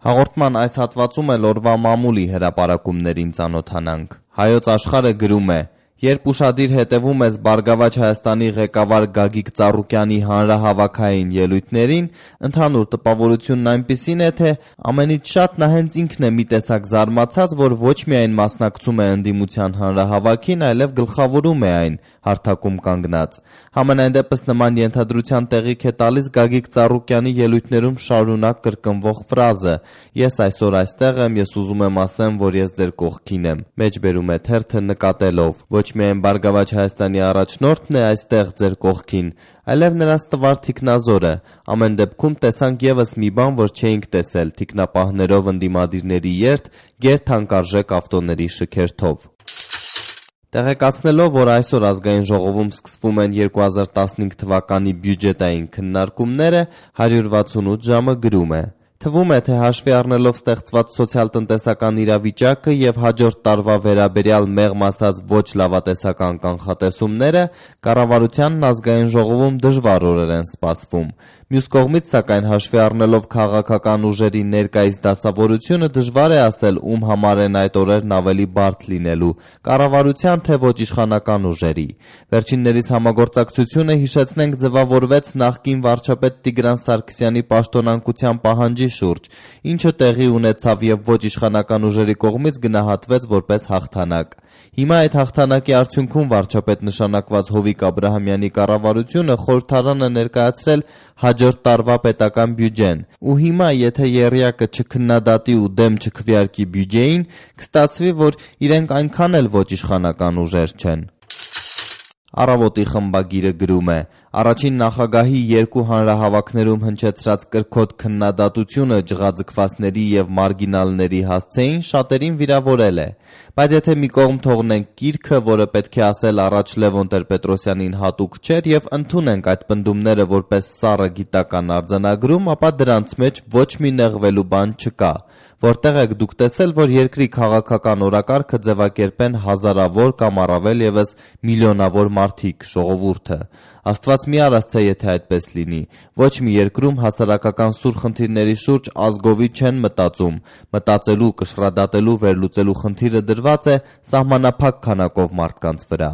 Հաղորդման այս հատվածում էլ օրվա մամուլի հրապարակումներին ծանոթանանք։ Հայոց Աշխարհը գրում է. Երբ ուշադիր հետևում ես Բարգավաճ Հայաստանի ղեկավար Գագիկ Ծառուկյանի հանրահավաքային ելույթներին, ընդհանուր տպավորությունն այնպիսին է, թե ամենից շատ նա հենց ինքն է մի տեսակ զարմացած, որ ոչ միայն մասնակցում է ընդդիմության հանրահավաքին, այլև գլխավորում է այն, հարթակում կանգնած։ Համենայն դեպս նման ենթադրության տեղիք է տալիս Գագիկ Ծառուկյանի ելույթներում շարունակ կրկնվող ֆրազը. «Ես այսօր այստեղ եմ, ես ուզում եմ ասեմ, որ ես ձեր կողքին եմ», մեջբերում է թերթը նկատելով. ոչ միայն Բարգավաճ Հայաստանի առաջնորդն է այստեղ ձեր կողքին, այլև նրանց տվար թիկնազորը։ Ամեն դեպքում տեսանք ևս մի բան, որ չէինք տեսել՝ թիկնապահներով ընդդիմադիրների երթ գերթանկարժեք ավտոների շքերթով։ Տեղեկացնելով, որ այսօր Ազգային ժողովում սկսվում են 2015 թվականի բյուջետային քննարկումները, 168 ժամը գրում է. Թվում է, թե հաշվի առնելով ստեղծված սոցիալ-տնտեսական իրավիճակը և հաջորդ տարվա վերաբերյալ մեղմ ասած ոչ լավատեսական կանխատեսումները, կառավարությանն Ազգային ժողովում դժվար օրեր են սպասվում։ Մյուս կողմից, սակայն, հաշվի առնելով քաղաքական ուժերի ներկայիս դասավորությունը, դժվար է ասել, ում համար են այդ օրերն ավելի բարդ լինելու՝ կառավարության, թե ոչ իշխանական ուժերի։ Վերջիններիս համագործակցությունը, հիշեցնենք, ձևավորվեց նախկին վարչապետ Տիգրան Սարգսյանի պաշտոնանկության պահանջի շուրջ, ինչը տեղի ունեցավ և ոչ իշխանական ուժերի կողմից գնահատվեց որպես հաղթանակ։ Հիմա այդ հաղթանակի արդյունքում վարչապետ նշանակված Հովիկ Աբրահամյանի կառավարությունը խորհրդարան է ներկայացրել հաջորդ տարվա պետական բյուջեն, ու հիմա, եթե եռյակը չքննադատի ու դեմ չքվեարկի բյուջեին, կստացվի, որ իրենք այնքան էլ ոչ իշխանական ուժեր չեն։ Առավոտի խմբագիրը գրում է. Առաջին նախագահի երկու հանրահավաքներում հնչեցրած կրքոտ քննադատությունը ջղաձգվածների և մարգինալների հասցեին շատերին վիրավորել է։ Բայց եթե մի կողմ թողնենք կիրքը, որը պետք է ասել առաջ Լևոն Տեր-Պետրոսյանին հատուկ չէր, և ընդունենք այդ պնդումները որպես սառը գիտական արձանագրում, ապա դրանց մեջ ոչ մի նեղվելու բան չկա։ Որտեղ եք դուք տեսել, որ երկրի քաղաքական օրակարգը ձևակերպեն հազարավոր կամ առավել ևս միլիոնավոր մարդիկ, ժողովուրդը։ Աստված մի արասցե, եթե այդպես լինի։ Ոչ մի երկրում հասարակական սուր խնդիրների շուրջ ազգովի չեն մտածում։ Մտածելու, կշռադատելու, վերլուծելու խնդիրը դրված է սահմանափակ քանակով մարդկանց վրա։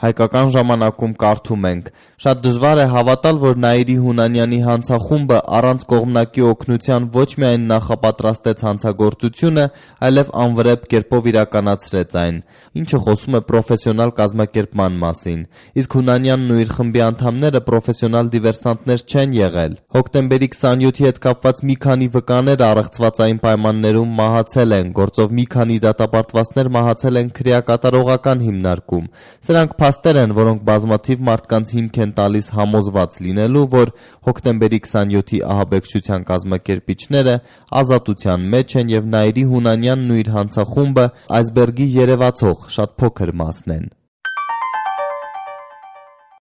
Հայկական ժամանակում կարդում ենք. շատ դժվար է հավատալ, որ Նաիրի Հունանյանի հանցախումբը առանց կողմնակի օգնության ոչ միայն նախապատրաստեց հանցագործությունը, այլև անվրեպ կերպով իրականացրեց այն, ինչը խոսում է պրոֆեսիոնալ կազմակերպման մասին։ Իսկ Հունանյանն ու իր խմբի անդամները պրոֆեսիոնալ դիվերսանտներ չեն եղել։ Հոկտեմբերի 27-ի հետ կապված մի քանի վկաներ առեղծվածային պայմաններում մահացել են, գործով մի քանի դատապարտվածներ մահացել են քրեակատարողական հիմնարկում։ Սրանք փաստեր են, որոնք բազմաթիվ մարդկանց հիմք են տալիս համոզված լինելու, որ հոկտեմբերի 27-ի ահաբեկչության կազմակերպիչները ազատության մեջ են և Նաիրի Հունանյանն ու իր հանցախումբը այսբերգի երևացող շատ փոքր մասն են։